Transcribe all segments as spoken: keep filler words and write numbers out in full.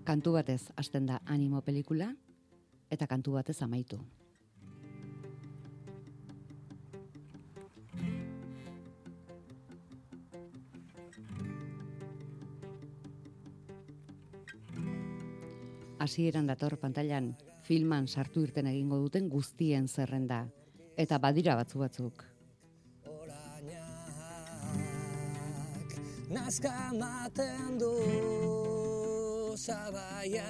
Kantu batez hasten da Animo pelikula, eta kantu batez amaitu. Hasieran dator pantailan filman sartu irten egingo duten guztien zerrenda, eta badira batzu batzuk. Nazka maten du zabaia,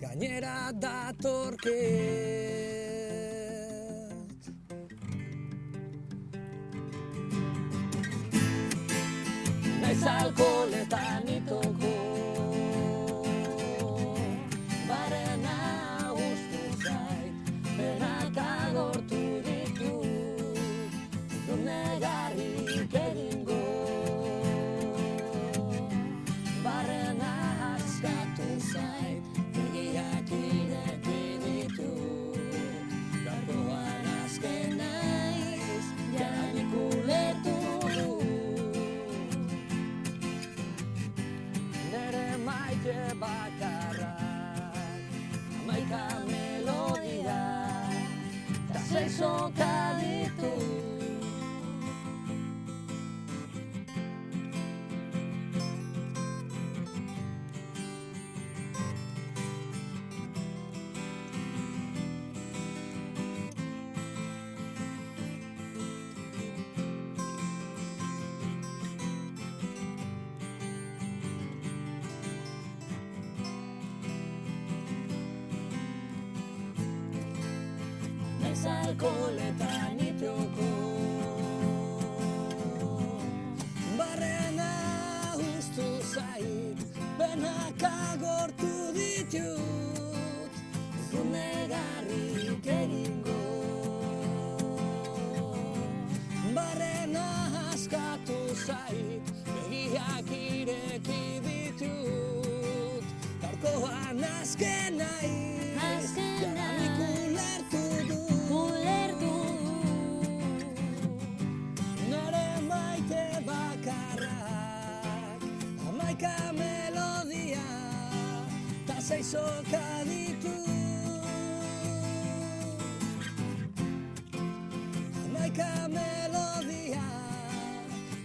gainera datorket. Naiz alkoholetan itoko, barrena ustu zait, benak agortu ditu, du negarrik egingo, barrena askatu zait, begiak ireki ditu, gaurkoan azken naiz, janik ulertu du, nere maite bakarrak, hamaika melodia, ta sei soka ditu. Alkoholetan itioko, barrena ustu zait, benak agortu ditut, du negarrik egingo, barrena askatu zait, begiak ireki ditut, gaurkoan azken naiz, janik ulertu du. Hamaika melodia, ta sei soka ditu. Hamaika melodia,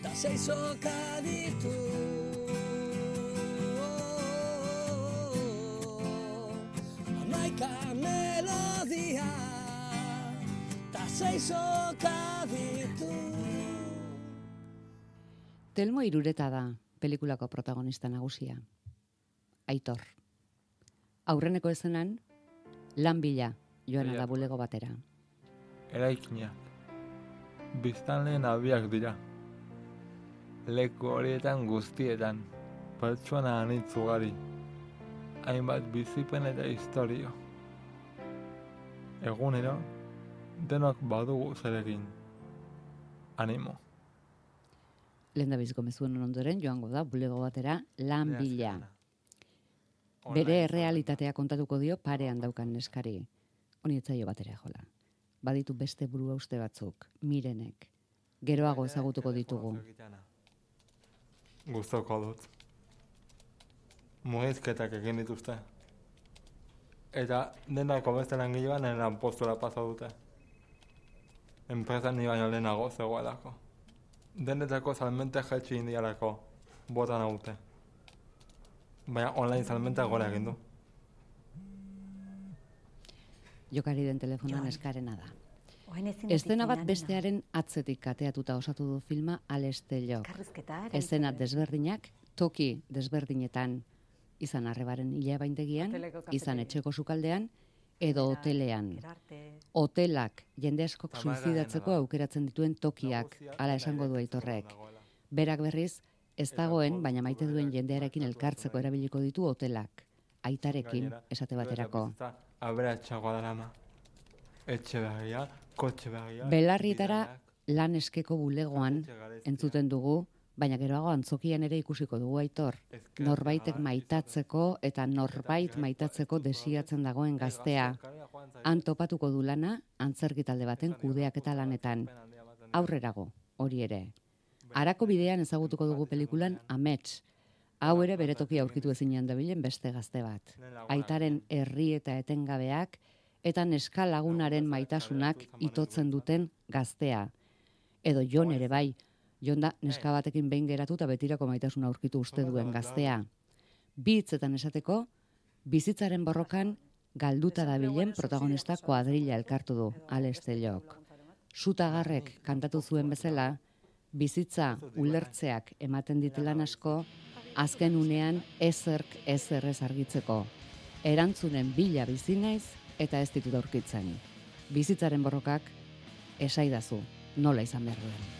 ta sei soka ditu. Hamaika melodia, ta sei soka ditu. Telmo Irureta da pelikulako protagonista nagusia. Aitor. Aurreneko ezenan, lan bila joan da bulego batera. Eraikinak. Biztanleen abiak dira. Leku horietan guztietan. Pertsona anitz ugari. Hainbat bizipen eta historio. Egunero, denok badugu zeregin. Animo. Lehendabiziko mezuen ondoren joango da bulego batera lan bila. Bere errealitatea kontatuko dio parean daukan neskari. Honi etzaio batera jola. Baditu beste burua uste batzuk, Mirenek. Geroago ezagutuko ditugu. Gustoko dut. Mugizketak egin dituzte. Eta denako beste langilean lanpostura pasa dute. Enpresan ni baino lehenago zegoelako. Denetako salmente jetxi indialako bota naute. Baina online salmenta gora egin du. Jokari den telefonan eskarena da. Eszena bat bestearen atzetik kateatuta osatu du filma Alestelok. Eszena desberdinak, toki desberdinetan, izan arrebaren hilabaintegian, izan etxeko sukaldean, edo hotelean. Hotelak jende askok suizidatzeko aukeratzen dituen tokiak, hala esango du Aitorrek. Berak berriz, ez dagoen, baina maite duen jendearekin elkartzeko erabiliko ditu hotelak. Aitarekin, esate baterako. Aberatxagoa da lama. Etxe begia, kotxe begia. Belarrietara lan eskeko bulegoan entzuten dugu, baina geroago antzokian ere ikusiko dugu Aitor. Norbaitek maitatzeko eta norbait maitatzeko desiatzen dagoen gaztea. Han topatuko du lana antzerki talde baten kudeaketa lanetan. Aurrerago, hori ere. Arako bidean ezagutuko dugu pelikulan Amets. Hau ere bere tokia aurkitu ezinean dabilen beste gazte bat. Aitaren herri eta etengabeak eta neska lagunaren maitasunak itotzen duten gaztea. Edo Jon ere bai, Jon da neska batekin behin geratu eta betirako maitasuna aurkitu uste duen gaztea. Bi hitzetan esateko, bizitzaren borrokan galduta dabilen protagonista kuadrilla elkartu du, Alestelok. Sutagarrek kantatu zuen bezala, bizitza ulertzeak ematen ditelan asko, azken unean ezerk ezerrez argitzeko. Erantzunen bila bizi naiz eta ez ditut aurkitzen. Bizitzaren borrokak esaidazu, nola izan behar duen.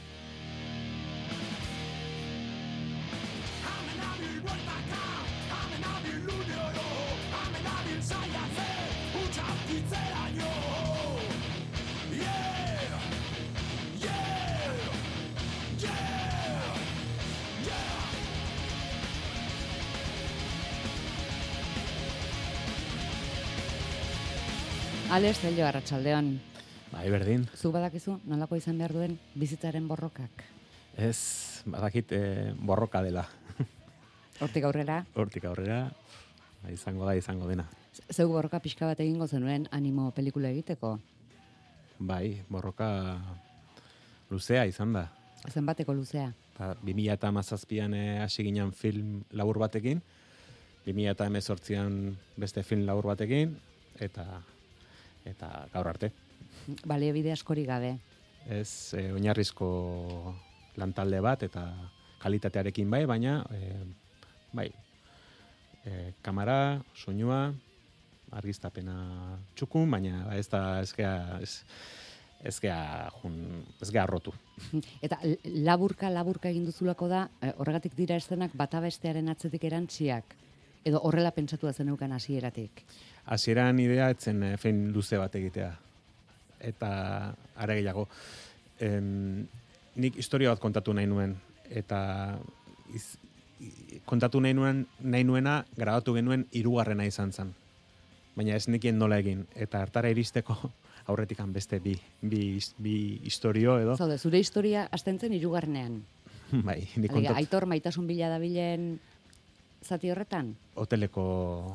Alestelok, arratsaldeon. Bai, berdin. Zu badakizu, nolako izan behar duen bizitzaren borrokak? Ez, badakit eh, borroka dela. Hortik aurrera? Hortik aurrera, izango da, izango dena. Zeu borroka pixka bat egingo zenuen animo pelikula egiteko? Bai, borroka luzea izan da. Zenbateko luzea? bi mila hamazazpian hasi ginen film labur batekin, bi mila hemezortzian beste film labur batekin, eta eta gaur arte. Baliabide askori gabe. Ez, e, oinarrizko lantalde bat eta kalitatearekin bai, baina e, bai, e, kamera, soinua, argiztapena txukun, baina ez da ezkea ez, ezkea jun, ezkea rotu. Eta laburka laburka egin duzulako da, horregatik dira eszenak bata bestearen atzetik erantziak, edo horrela pentsatu da zeneukan hasieratik. Hasieran idea etzen e, fein luze bat egitea. Eta are gehiago, em, nik historia bat kontatu nahi nuen, eta iz, kontatu nahi nuen, nahi nuena grabatu genuen hirugarrena izan zen. Baina ez nekien nola egin, eta hartara iristeko aurretikan beste bi, bi, bi historio edo. Zaude, zure historia hasten zen hirugarrenean. Bai, nik kontatu. Aitor maitasun bila dabilen zati horretan? Hoteleko...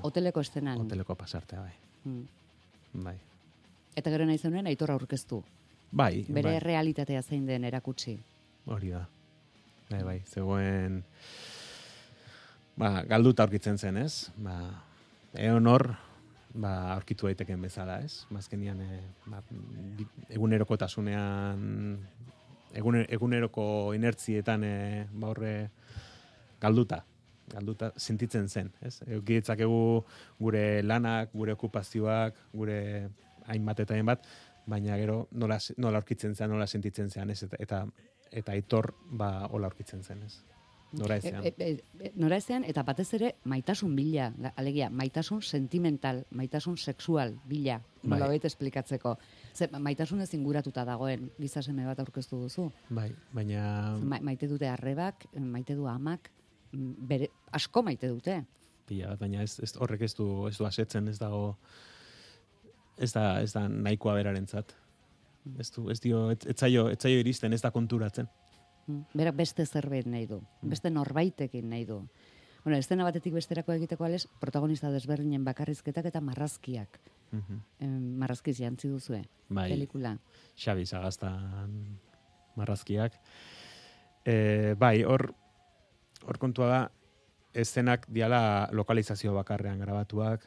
Hoteleko estenan. Hoteleko pasartea, bai. Hmm. Bai. Eta gero nahi zenuen Aitor aurkeztu. Bai. Bere bai. realitatea zein den erakutsi. Hori da. Bai, bai, zegoen... Ba, galduta aurkitzen zen, ez? Ba, egon hor, ba, aurkitu daiteken bezala, ez? Mazkenian, e, ba, egunerokotasunean, eguner, eguneroko inertzietan, e, ba, horre, galduta. galduta sentitzen zen, ez? Eukiditzakegu gure lanak, gure okupazioak, gure hainbat eta hainbat, baina gero nola, nola aurkitzen zen, nola sentitzen zen, ez? Eta, eta, eta Aitor ba hola aurkitzen zen, ez? Nora ezean. E, e, e, nora ezean, eta batez ere maitasun bila, alegia, maitasun sentimental, maitasun sexual bila, nola baita esplikatzeko. Zer, maitasun ez inguratuta dagoen gizaseme bat aurkeztu duzu. Bai, baina... Ma, maite dute arrebak, maite du amak, bere, asko maite dute. Pila bat, baina ez, ez horrek ez du, ez du asetzen, ez dago, ez da, ez da nahikoa berarentzat. Ez du, ez dio, ez, ez zaio, ez zaio iristen, ez da konturatzen. Berak beste zerbait nahi du, beste norbaitekin nahi du. Bueno, estena batetik besterako egiteko alez, protagonista desberdinen bakarrizketak eta marrazkiak. Uh-huh. em, marrazkiz jantzi duzue, bai, pelikula. Xabi Sagaztan marrazkiak. E, bai, hor, hor kontua da, eszenak diala lokalizazio bakarrean grabatuak,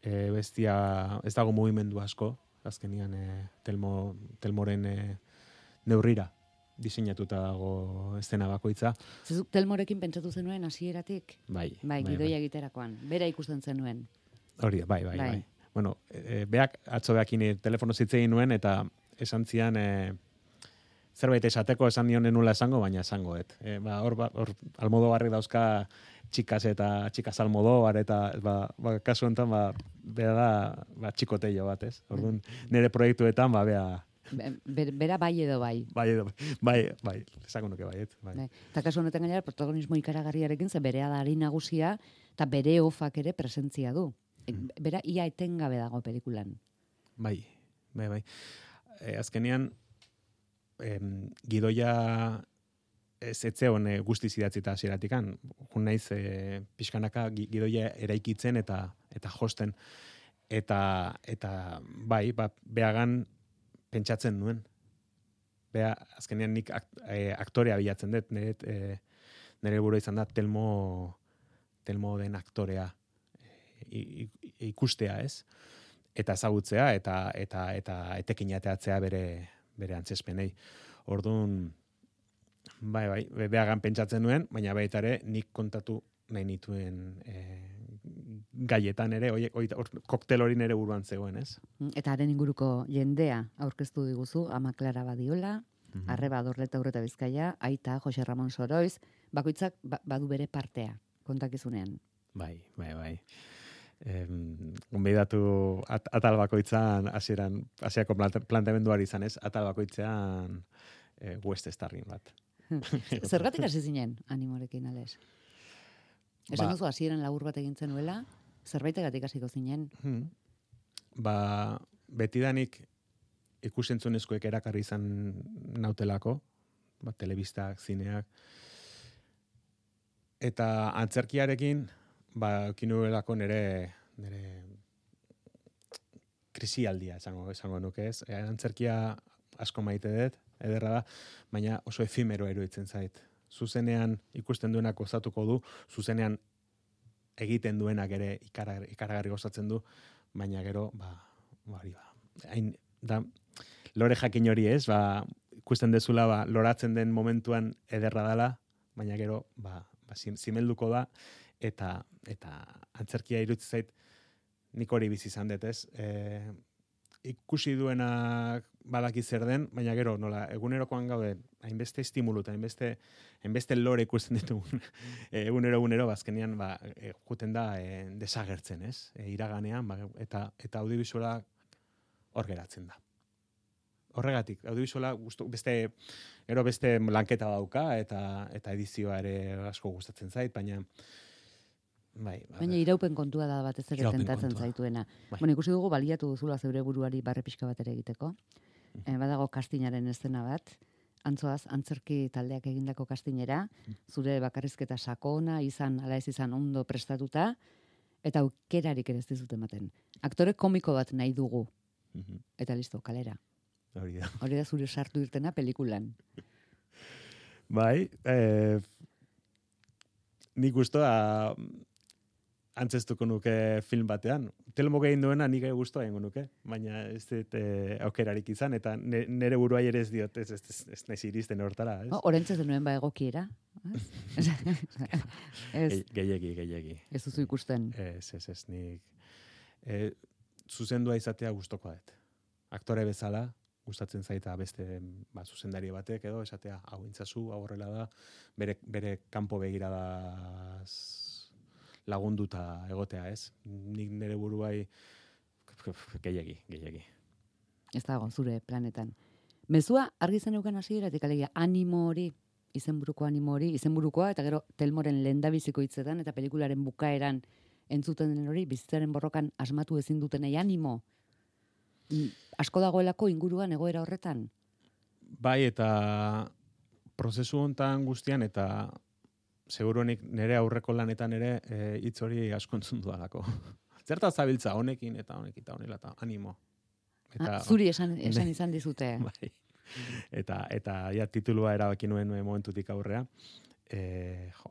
e, bestia, ez dago mugimendu asko, azkenian e, telmo, telmoren e, neurrira diseinatuta dago estena bakoitza. Zezuk telmorekin pentsatu zenuen hasieratik? Bai. Bai, bai gidoia bai. egiterakoan, bera ikusten zenuen. Hori, bai, bai, bai. bai. Bueno, e, beak, atzo beakin telefono zitzegin nuen, eta esan zian, e, zerbait esateko esan nionen nula esango, baina esango, et. E, ba, hor, ba, hor, Almodobarrek dauzka txikas eta txikas Almodóvar, eta ba, ba, kasu enten, ba, bera da, ba, txikoteio bat, ez? Orduan, nire proiektuetan, ba, bea... Be, bera bai edo bai. Bai edo, bai, bai, esango nuke bai, et. Bai. Bai. Eta kasu honetan gainera, protagonismo ikaragarriarekin, ze berea da ari nagusia, eta bere ofak ere presentzia du. Bera ia etengabe dago pelikulan. Bai, bai, bai. E, azkenean, em, gidoia ez etzeon e, guztiz idatzita hasieratikan. Jun naiz e, pixkanaka gidoia eraikitzen eta eta josten. Eta, eta bai, ba, behagan pentsatzen nuen. Bea, azkenean nik akt, e, aktorea bilatzen dut, nire, e, nire burua izan da Telmo, Telmo den aktorea e, ikustea, ez? Eta ezagutzea, eta, eta, eta etekin ateatzea bere, bere antzespenei. Orduan, bai, bai, behagan pentsatzen nuen, baina baita ere nik kontatu nahi nituen e, gaietan ere, oie, oie, or, koktel hori nere buruan zegoen, ez? Eta haren inguruko jendea aurkeztu diguzu, Ama Clara Badiola, mm-hmm. Arreba Dorleta Urreta Bizkaia, Aita, Jose Ramon Soroiz, bakoitzak ba, badu bere partea, kontakizunean. Bai, bai, bai. Gonbidatu at, atal bakoitzan, hasieran hasiako planteamenduari izan, ez? Atal bakoitzean e, West Starrin bat. Zergatik hasi zinen animorekin, Ales? Esan duzu, hasieran labur bat egin zenuela, zerbaitegatik hasiko zinen? Hmm. Ba, betidanik ikusentzunezkoek erakarri izan nautelako, ba, telebistak, zineak, eta antzerkiarekin, ba, kinuelako nere, nere krisialdia, esango, esango nuke ez. E, antzerkia asko maite dut, ederra da, baina oso efimero eruditzen zait. Zuzenean ikusten duenak gozatuko du, zuzenean egiten duenak ere ikaragarri, ikaragarri gozatzen du, baina gero, ba, bari ba, hain, da, lore jakin hori ez, ba, ikusten dezula, ba, loratzen den momentuan ederra dela, baina gero, ba, ba zimelduko da, eta, eta antzerkia iruditzen zait, nik hori bizi izan dut ez, e, ikusi duenak badaki zer den, baina gero, nola, egunerokoan gaude, hainbeste estimulu eta hainbeste, hainbeste lore ikusten ditugun, egunero, egunero, bazkenean, ba, e, juten da e, desagertzen, ez? E, iraganean, ba, eta, eta audiovisuala hor geratzen da. Horregatik, audiovisuala gustu, beste, gero beste lanketa dauka, eta, eta edizioa ere asko gustatzen zait, baina, bai, baina iraupen kontua da batez ere tentatzen kontua. Zaituena. Bai. Bueno, ikusi dugu baliatu duzula zeure buruari barre pixka bat ere egiteko. Mm. E, badago kastinaren eszena bat, antzoaz, antzerki taldeak egindako kastinera, mm. zure bakarrizketa sakona, izan, ala ez izan ondo prestatuta, eta aukerarik ere ez dizut ematen. Aktore komiko bat nahi dugu. Mm-hmm. Eta listo, kalera. Hori da. Hori da zure sartu irtena pelikulan. Bai, eh, nik gustoa antzestuko nuke film batean. Telmo gehin duena nik gustoa egingo nuke, baina ez dut eh, aukerarik izan, eta nere buruai ere ez diot, ez, ez, ez, ez naiz iristen hortara. Ez? Oh, Orentze zenuen ba egokiera. Ez? Gehiegi, gehiegi. Ez duzu ikusten. Ez, ez, ez, nik. Eh, zuzendua izatea gustokoa dut. Aktore bezala, gustatzen zaita beste ba, zuzendari batek edo, esatea, hau intzazu, hau horrela da, bere, bere kanpo begiradaz lagunduta egotea, ez? Nik nire buruai gehiegi, gehiegi. Ez dago, zure planetan. Mezua argi zeneukan hasieratik alegia animo hori, izenburuko animo hori, izenburukoa eta gero Telmoren lehendabiziko hitzetan eta pelikularen bukaeran entzuten den hori, bizitzaren borrokan asmatu ezin dutenei animo. Asko dagoelako inguruan egoera horretan? Bai, eta prozesu hontan guztian, eta seguruenik nire aurreko lanetan ere hitz e, hori asko entzun dudalako. Zerta zabiltza honekin eta honekin eta honela eta animo. Eta, ah, zuri esan, esan izan dizute. Bai. Eta, eta ja, titulua erabaki nuen momentutik aurrea. E, jo,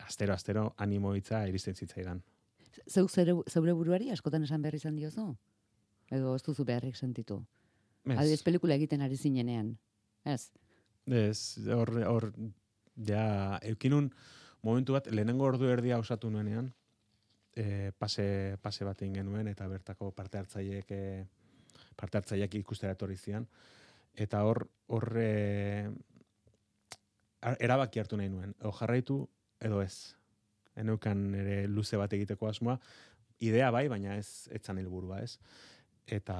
astero, astero animo hitza iristen zitzaidan. Zeuk zeure buruari askotan esan behar izan diozu? Edo ez duzu beharrik sentitu? Adibidez pelikula egiten ari zinenean, ez? Ez, hor, hor, ja, eukinun momentu bat, lehenengo ordu erdia osatu nuenean, e, pase, pase bat egin genuen, eta bertako parte hartzaileek, e, parte hartzaileak ikustera etorri zian, eta hor, hor, e, erabaki hartu nahi nuen, edo jarraitu, edo ez. Eneukan ere luze bat egiteko asmoa, idea bai, baina ez etzan helburua, ez? Eta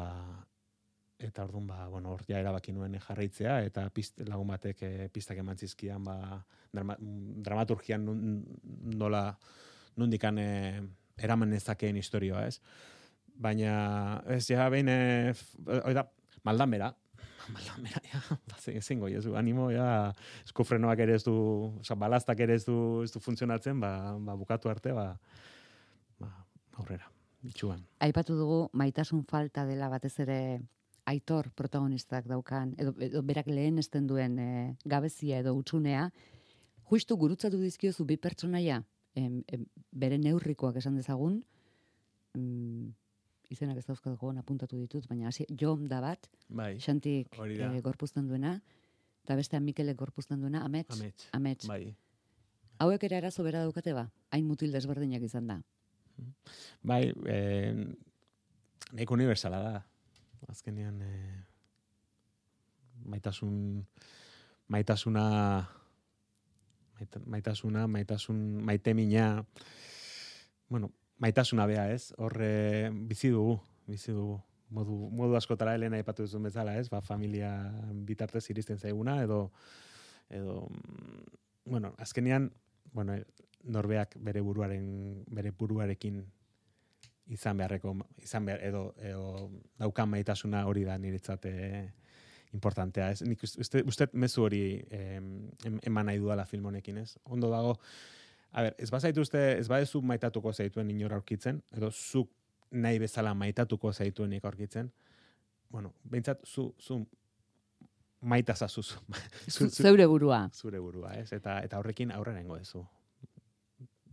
eta orduan ba bueno, hor ja erabaki nuen jarraitzea eta pist, lagun batek e, pistak eman zizkian ba drama, dramaturgian nola nondikan e, eraman nezakeen historia, ez? Baina ez ja behin e, oida maldan bera Maldamera, ja, ezingo, jesu, animo, ja, eskufrenoak ere ez du, oza, balaztak ere ez du, ez du funtzionatzen, ba, ba, bukatu arte, ba, ba, aurrera, itxuan. Aipatu dugu, maitasun falta dela batez ere Aitor protagonistak daukan, edo, edo berak lehen esten duen e, gabezia edo utxunea, justu gurutzatu dizkiozu bi pertsonaia, em, em, bere neurrikoak esan dezagun, em, izenak ez dauzkatuko apuntatu ditut, baina hasi Jon da bat, bai, Xantik e, gorpuzten duena, eta beste Mikelek gorpuzten duena, Amets. Amets. Amets. Bai. Hauek ere arazo bera daukate ba, hain mutil desberdinak izan da. Bai, eh, nahiko universala da. Azkenean, eh, maitasun, maitasuna, maita, maitasuna, maitasun, maitemina, bueno, maitasuna bea, ez? Horre bizi dugu, bizi dugu. Modu, modu askotara helena aipatu duzun bezala, ez? Ba, familia bitartez iristen zaiguna, edo, edo, bueno, azkenean, bueno, norbeak bere buruaren, bere buruarekin izan beharreko, izan behar, edo, edo daukan maitasuna hori da niretzat eh, importantea, ez? Nik uste, uste mezu hori eh, eman nahi dudala film honekin, ez? Ondo dago, a ber, ez bazaitu uste, ez badezu maitatuko zaituen inor aurkitzen, edo zuk nahi bezala maitatuko zaituenik aurkitzen, bueno, behintzat, zu, zu maitazazu zu. Zeure burua. Zure burua, ez? Eta, eta horrekin aurrera nengo ezu.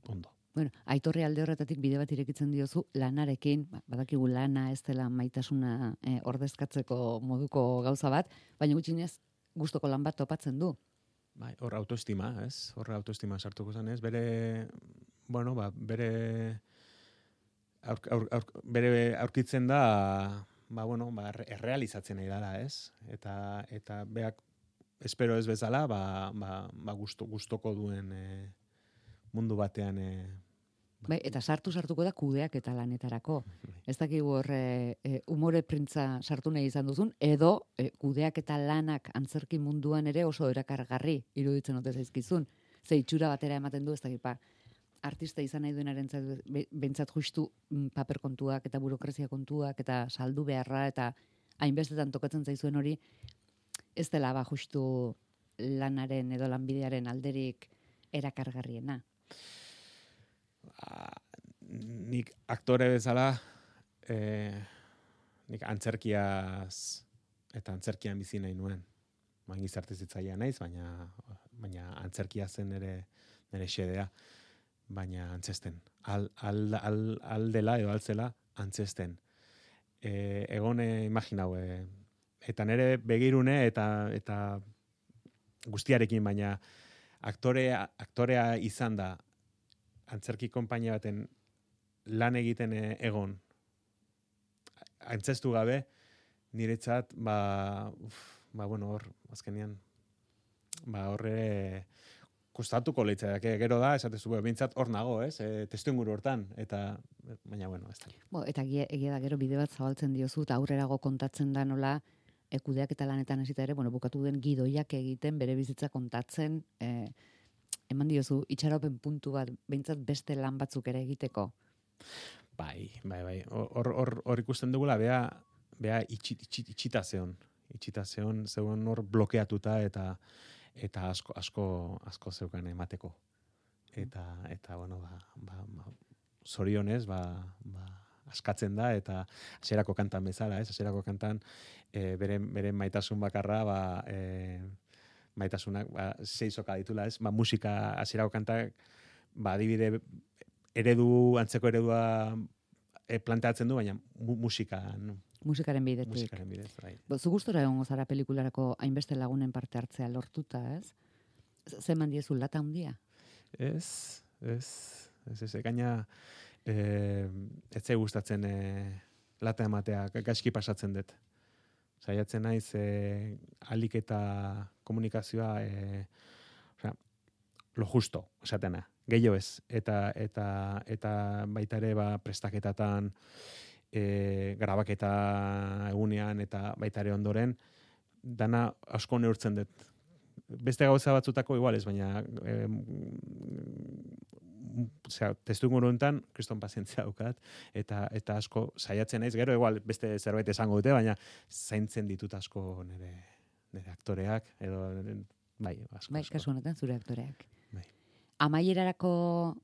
Ondo. Bueno, Aitorri alde horretatik bide bat irekitzen diozu lanarekin, badakigu lana ez dela maitasuna eh, ordezkatzeko moduko gauza bat, baina gutxinez gustoko lan bat topatzen du. Bai, hor autoestima, ez? Hor autoestima sartuko zen, ez? Bere, bueno, ba, bere, aur, aur, aur, bere aurkitzen da, ba, bueno, ba, errealizatzen nahi dela, ez? Eta, eta beak, espero ez bezala, ba, ba, ba gusto, gustoko duen e, mundu batean... E, Bai, eta sartu sartuko da kudeak eta lanetarako. Ez dakigu hor e, umore printza sartu nahi izan duzun, edo e, kudeak eta lanak antzerki munduan ere oso erakargarri iruditzen ote zaizkizun. Ze itxura batera ematen du, ez dakipa, artista izan nahi duenaren bentsat justu m, paper kontuak eta burokrazia kontuak eta saldu beharra eta hainbestetan tokatzen zaizuen hori, ez dela ba justu lanaren edo lanbidearen alderik erakargarriena. Nik aktore bezala eh, nik antzerkiaz eta antzerkian bizi nahi nuen. Ba, gizarte zitzaia naiz, baina baina antzerkia zen nere nere xedea, baina antzesten. Al, al, al, aldela edo altzela antzesten. E, egone imaginau, e, eta nere begirune eta eta guztiarekin, baina aktorea, aktorea izan da antzerki konpainia baten lan egiten egon, antzestu gabe, niretzat, ba, uf, ba, bueno, hor, azkenean, ba, horre kostatuko leitzak, gero da, esatezu, bintzat hor nago, ez, e, testu inguru hortan, eta, baina, bueno, ez da. Bo, eta egia da gero bide bat zabaltzen diozu, eta aurrerago kontatzen da nola, ekudeak eta lanetan hasita ere, bueno, bukatu den gidoiak egiten, bere bizitza kontatzen, eh, eman diozu, itxaropen puntu bat, behintzat beste lan batzuk ere egiteko. Bai, bai, bai. Hor, hor, hor ikusten dugula, bea, bea itxit, itxit, itxita zeon. Itxita zeon, zeon hor blokeatuta eta eta asko, asko, asko zeukan emateko. Eta, eta bueno, ba, ba, ba, zorionez, ba, ba, askatzen da, eta hasierako kantan bezala, ez? Hasierako kantan, e, beren, beren maitasun bakarra, ba, e, maitasunak, ba, seizoka ditula, ez? Ba, musika hasierako kantak, ba, adibide eredu, antzeko eredua e, planteatzen du, baina mu, musika, no? Musikaren bidetik. Musikaren bidez, bai. Bo, zu gustora egongo zara pelikularako hainbeste lagunen parte hartzea lortuta, ez? Zeman diezu lata handia? Ez, ez, ez, ez, gaina e, ez zei gustatzen e, lata ematea, gaizki pasatzen dut. Saiatzen naiz e, alik eta komunikazioa e, osea, lo justo, esatena, gehiago ez, eta, eta, eta baita ere ba, prestaketatan, e, grabaketa egunean eta baita ere ondoren, dana asko neurtzen dut. beste gauza batzutako igual ez, baina eh, osea, testu inguru hontan kriston pazientzia daukat eta eta asko saiatzen naiz, gero igual beste zerbait esango dute, baina zaintzen ditut asko nire nire aktoreak edo bai, asko. Bai, kasu honetan zure aktoreak. Bai. Amaierarako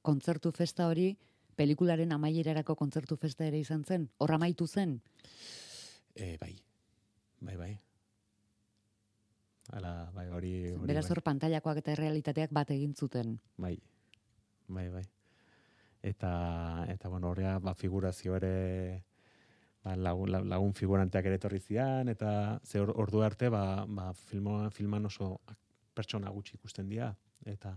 kontzertu festa hori, pelikularen amaierarako kontzertu festa ere izan zen? Hor amaitu zen? E, bai. Bai, bai. Ala, bai, hori... hori Beraz bai. hor pantailakoak eta errealitateak bat egin zuten. Bai, bai, bai. Eta, eta bueno, horrea, ba, figurazio ere, ba, lagun, lagun figuranteak ere etorri zian, eta ze or, ordu arte, ba, ba filmo, filman oso pertsona gutxi ikusten dira, eta,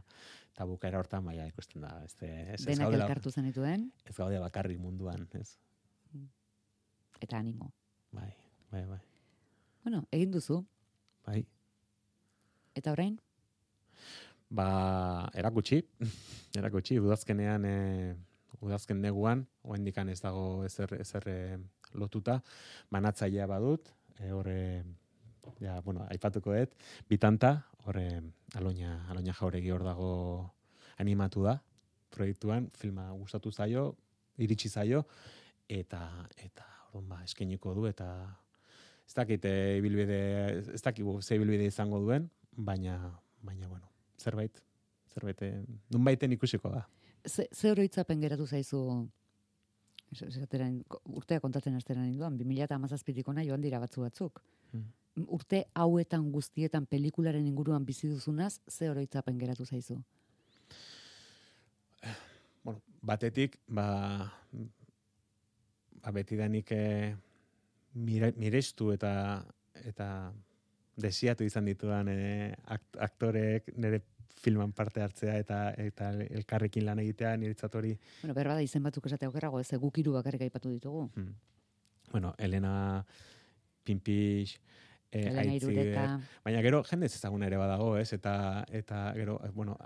eta bukaera hortan, baina ikusten da. Ez, ez, Denak gaudela, elkartu zenituen. Ez gaude bakarrik munduan, ez? Eta animo. Bai, bai, bai. Bueno, egin duzu. Bai. Eta orain? Ba, erakutsi, erakutsi, udazkenean, e, udazken neguan, oendikan ez dago ezer, ezer e, lotuta, banatzailea badut, e, horre, ja, bueno, aipatuko dut, bitanta, horre, aloina, aloina jauregi hor dago animatu da, proiektuan, filma gustatu zaio, iritsi zaio, eta, eta, orduan, ba, eskainiko du, eta ez dakit, e, ibilbide, ez dakit, ze ibilbide izango duen, baina, baina, bueno, zerbait, zerbait, nunbaiten ikusiko da. Ze, ze oroitzapen geratu zaizu, esateren, urtea kontatzen asteran induan, bi mila hamazazpitik ona joan dira batzu batzuk. Hmm. Urte hauetan guztietan pelikularen inguruan bizi duzunaz, ze oroitzapen geratu zaizu? Bueno, batetik, ba, ba betidanik e, mire, mirestu eta eta desiatu izan ditudan e, aktoreek nire filman parte hartzea eta eta elkarrekin lan egitea niretzat hori. Bueno, berba da izen batzuk esate aukerago, ez guk hiru bakarrik aipatu ditugu. Hmm. Bueno, Elena Pinpix, eh, Elena Irureta. Baina gero jende ezagun ere badago, ez? Eta eta gero, bueno,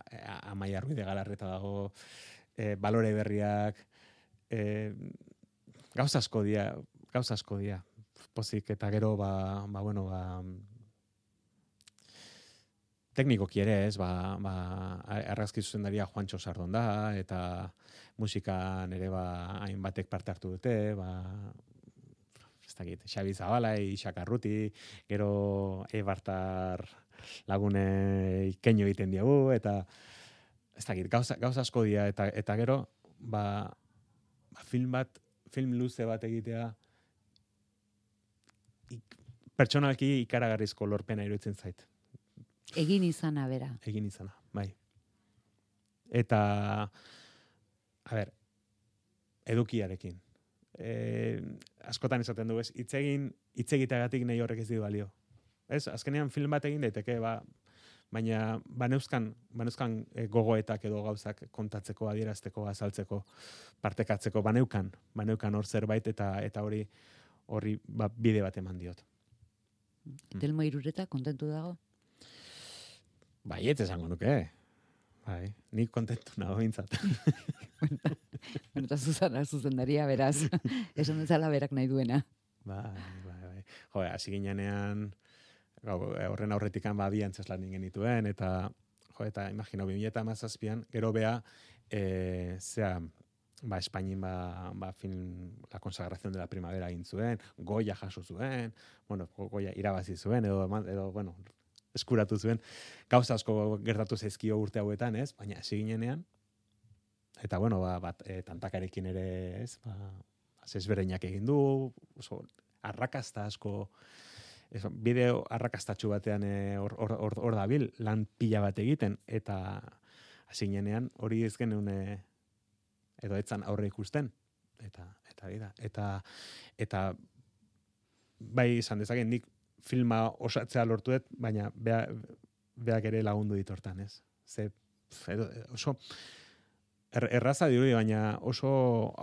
Amaia Ruiz de Galarreta dago, eh, balore berriak, eh, gauza asko dia, gauza asko dia. Pozik eta gero ba, ba bueno, ba teknikoki ere, ez, ba, ba, argazki zuzendaria Juancho Sardon da, eta musikan ere ba, hainbatek parte hartu dute, ba, ez dakit, Xabi Zabala, Ixak Arruti, gero Eibartar lagune ikeño egiten diagu, eta ez dakit, gauza, gauza asko dira, eta, eta gero, ba, ba, film bat, film luze bat egitea, ik, pertsonalki ikaragarrizko lorpena iruditzen zait. Egin izana, bera. Egin izana, bai. Eta, a ber, edukiarekin. E, askotan esaten du, ez, itzegin, itzegiteagatik nahi horrek ez di balio. Ez, azkenean film bat egin daiteke, ba, baina baneuzkan, baneuzkan e, gogoetak edo gauzak kontatzeko, adierazteko, azaltzeko, partekatzeko, baneukan, baneukan hor zerbait, eta eta hori horri ba, bide bat eman diot. Telmo Irureta, kontentu dago? Bai, ez esango nuke. Bai, nik kontentu nago bintzat. Bueno, eta Susana zuzendaria, beraz. Esan dezala berak nahi duena. Bai, bai, bai. Jo, hasi ginenean, horren aurretikan ba, bi antzeslan genituen, eta, jo, eta imagino, bi mila hamazazpian, gero bea, e, zea, ba, Espainin, ba, ba, film, la consagración de la primavera egin zuen, Goya jaso zuen, bueno, Goya irabazi zuen, edo, edo bueno, eskuratu zuen, gauza asko gertatu zaizkio urte hauetan, ez? Baina hasi ginenean, eta bueno, ba, bat, e, tantakarekin ere, ez? Ba, ezberdinak egin du, oso arrakasta asko, ez, bideo arrakastatxu batean hor e, or, or, or dabil, lan pila bat egiten, eta hasi ginenean hori ez genuen e, edo etzan aurre ikusten, eta eta eta eta, eta bai izan dezaken nik filma osatzea lortu dut, baina bea, beak ere lagundu ditortan, ez? Ze, edo, oso er, erraza dirudi, baina oso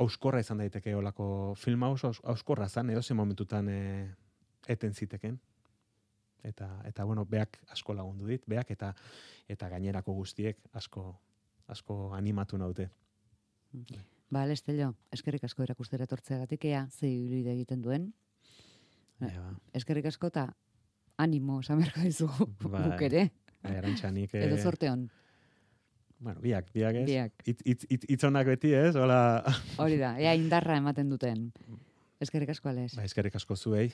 auskorra izan daiteke olako filma oso auskorra zan, edo ze momentutan e, eten ziteken. Eta, eta bueno, beak asko lagundu dit, beak eta eta gainerako guztiek asko asko animatu naute. Ba, Alestello, eskerrik asko erakustera etortzeagatik, ea ze ibilbide egiten duen. Ja. Eskerrik asko eta animo samerko dizugu bai, buk ere. Bai, Arantxa, nik... Edo zorteon. Bueno, biak, biak ez. Biak. Itz, itz, itz, itzonak beti ez, hola... Hori da, ea indarra ematen duten. Eskerrik asko, Ales. Ba, eskerrik asko zuei.